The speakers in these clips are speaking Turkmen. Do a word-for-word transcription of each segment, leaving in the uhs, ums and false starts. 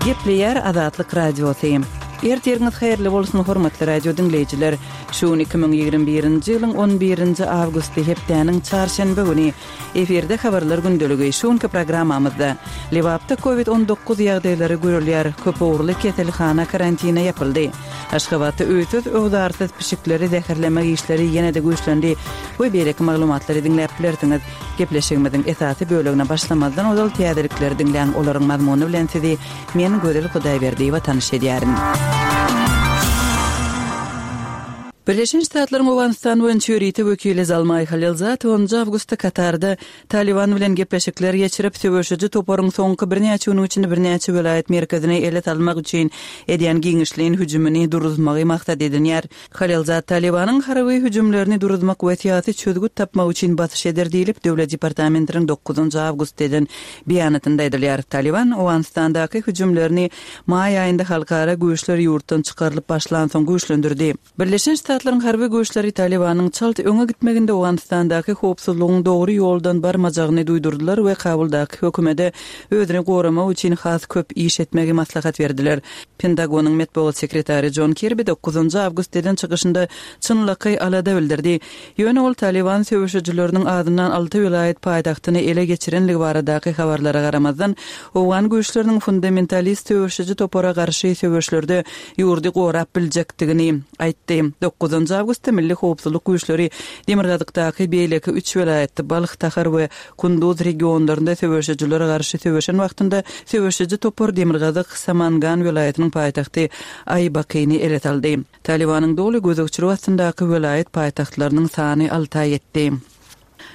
Gepleýär Azatlyk Radiosy. Ertiriňiz haýyrly bolsun, hormatly radio diňleýjiler. Şu gün iki müň ýigrimi birinji ýylyň on birinji awgusty hepdäniň çarşenbe güni. Efirde habarlar gündeligi. Şu günki programmamyzda Lebapda Covid on dokuz ýagdaýlary görülýär, köpugurly keselhana karantine ýapyldy. Aşgabatda öýsüz-öwzarsyz pişikleri zäherlemek işleri ýene-de güýçlendi we beýleki maglumatlary diňläp bilersiňiz. Gepleşigimiziň esasy bölegine başlamazdan ozal täzelikleri diňläň, olaryň mazmuny bilen sizi men Gözel Hudaýberdiýewa tanyş edýärin. Birleşen Ştatlaryň Owganystan boýunça ýörite wekili Zalmaý Halilzad onunjy awgustda Katarda Taliban bilen gepleşikler geçirip, söweşiji toparyň soňky birnäçe günüň içinde birnäçe welaýat merkezini ele salmak üçin edýän giňişleýin hüjümini duruzmagy maksat edinýär. Halilzad Talibanyň harby hüjümlerini duruzmak we syýasy çözgüt tapmak üçin basyş eder diýlip, Döwlet departamentiniň dokuzynjy awgustda eden beýanatynda aýdylýar. Taliban Owganystandaky hüjümlerini maý aýynda halkara güýçler ýurtdan çykarylyp başlansoň güýçlendirdi. Birleşen Ştatlaryň harby güýçleri Talibanyň çalt öňe gitmeginde Owganystandaky howpsuzlygyň dogry ýoldan barmajagyny duýdurdylar we Kabuldaky hökümete özüni goramak üçin has köp iş etmegi maslahat berdiler. Pentagonyň metbugat sekretary Jon Kirbi dokuzynjy awgust eden çykyşynda çynlakaý alada bildirdi. Ýöne ol Taliban söweşijileriniň azyndan alty welaýat paýtagtyny ele geçirenligi baradaky habarlara garamazdan, owgan güýçleriniň fundamentalist söweşiji topara garşy söweşlerde ýurdy gorap biljekdigini aýtdy. Dokuzynjy awgustda Milli howpsuzlyk güýçleri Demirgazykdaky beýleki üç welaýatda Balh, Tahar we Kunduz regionlarynda söweşijilere garşy söweşen wagtynda söweşiji topar Demirgazyk Samangan welaýatynyň paýtagty Aýbakyny ele saldy. Talibanyň doly gözegçiligi astyndaky welaýat paýtagtlarynyň sany alta ýetdi.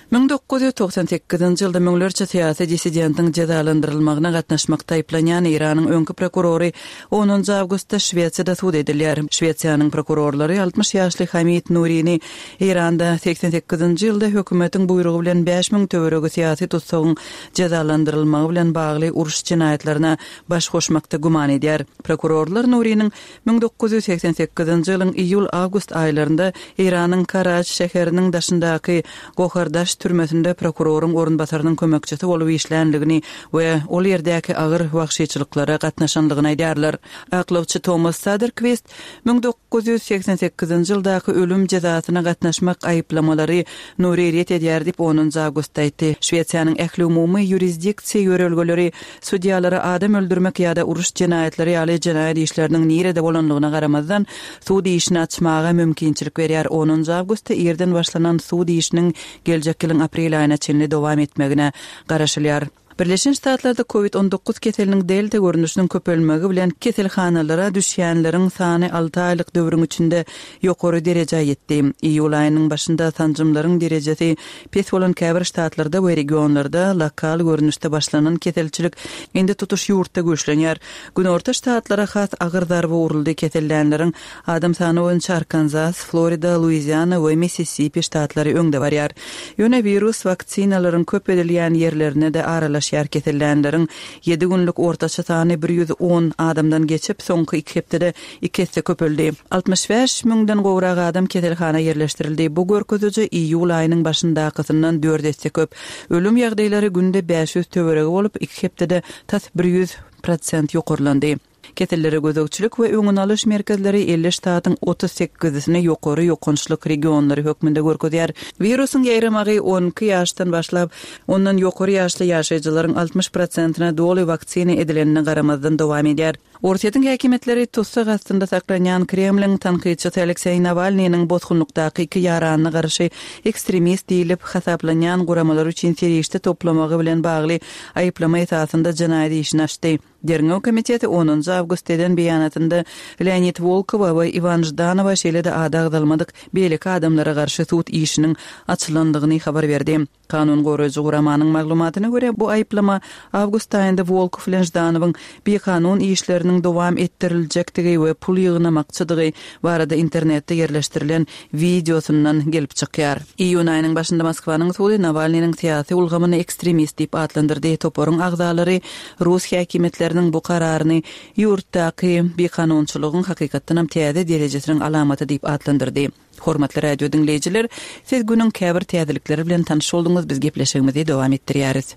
Müň dokuz ýüz togsan sekizinji ýylda müňlerçe syýasy dissidentiň jezalandyrylmagyna gatnaşmakda aýyplanýan Eýranyň öňki prokurory onunjy awgustda Şwesiýada sud edilýär. Şwesiýanyň prokurorlary altmyş ýaşly Hamid Nurini Eýranda seksen sekizinji ýylda hökümetiň buýrugy bilen bäş müň töweregi syýasy tutsagyň jezalandyrylmagy bilen bagly uruş jenaýatlaryna baş goşmakda güman edýär. Prokurorlar Nuriniň müň dokuz ýüz seksen sekizinji ýylyň iýul-awgust aýlarynda Eýranyň Karaç şäheriniň daşyndaky Gohardaş türmesinde prokuroryň orunbasarynyň kömekçisi bolup işlänligini we ol ýerdäki agyr wagşyçylyklara gatnaşanlygyny aýdýarlar. Aklawçy Thomas Saderquist müň dokuz ýüz seksen sekizinji ýyldaky ölüm jezasyna gatnaşmak aýyplamalary Nuri ret edýär diýip onunjy awgustda aýtdy. Şwesiýanyň ähli umumy ýurisdiksiýa ýörelgeleri sudýalara adam öldürmek ýa-da uruş jenaýatlary ýaly jenaýat işleriniň nirede bolanlygyna garamazdan sud işini açmaga mümkinçilik berýär. Onunjy awgustda irden başlanan sud işiniň geljek ýylyň aprel aýyna çenli dowam etmegine garaşylýar. Birleşen Ştatlarda Covid on dokuz keseliniň delta görnüşiniň köpelmegi bilen keselhanalara düşýänleriň sany alty aýlyk döwrüň içinde ýokary derejä ýetdi. Iýul aýynyň başynda sanjymlaryň derejesi pes bolan käbir ştatlarda we regionlarda lokal görnüşde başlanan keselçilik indi tutuş ýurtda güýçlenýär. Günorta ştatlara has agyr zarba uruldy. Kesellänleriň adam sany boýunça Arkansas, Florida, Luiziana we Mississippi ştatlary öňde barýar. Ýöne wirus waksinalaryň köp edilýän ýerlerine de aralaşýar. Kesellänleriň ýedi günlük ortaça sany bir ýüz on adamdan geçip, soňky iki hepdede iki esse köpeldi. Altmyş bäş müňden gowrak adam keselhana ýerleşdirildi. Bu görkeziji iýul aýynyň başyndakysyndan dört esse köp. Ölüm ýagdaýlary günde bäş ýüz töweregi bolup, iki hepdede tas bir ýüz prosent ýokarlandy. Kesellere gözegçilik we öňüni alyş merkezleri elli ştatyň otuz sekizisini ýokary ýokançlyk regionlary hökmünde görkezýär. Wirusyň ýaýramagy on iki ýaşdan başlap, ondan ýokary ýaşly ýaşaýjylaryň altmyş prosentine doly waksina edilenine garamazdan dowam edýär. Orsýetiň häkimiýetleri tutsak astynda saklanýan Kremliň tankytçysy Alekseý Nawalnynyň bosgunlykdaky iki ýaranyna garşy ekstremist diýlip hasaplanýan guramalar üçin serişde toplamagy bilen bagly aýyplama esasynda jenaýat işini açdy. Derňew komiteti onunjy awgust eden beýanatynda Leonid Wolkowa we Iwan Ždanowa şeýle-de ady agzalmadyk beýleki adamlara garşy sud işiniň açylandygyny habar berdi. Kanun goraýjy guramanyň maglumatyna görä bu aýyplama awgust aýynda Wolkow bilen Ždanowyň bikanun işleriniň dowam etdiriljekdigi we pul ýygnamakçydygy barada internetde ýerleşdirilen wideosyndan gelip çykýar. Iýun aýynyň başynda Moskwanyň sudy Nawalnynyň syýasy ulgamyny ekstremist diýip atlandyrdy. Toparyň agzalary rus häkimiýetleriniň bu kararyny ýurtdaky bikanunçylygyň hakykatdanam täze derejesiniň alamaty diýip atlandyrdy. Hormatly radio diňleýjiler, siz günüň käbir täzelikleri bilen tanyş bolduňyz, biz gepleşigimizi dowam etdirýäris.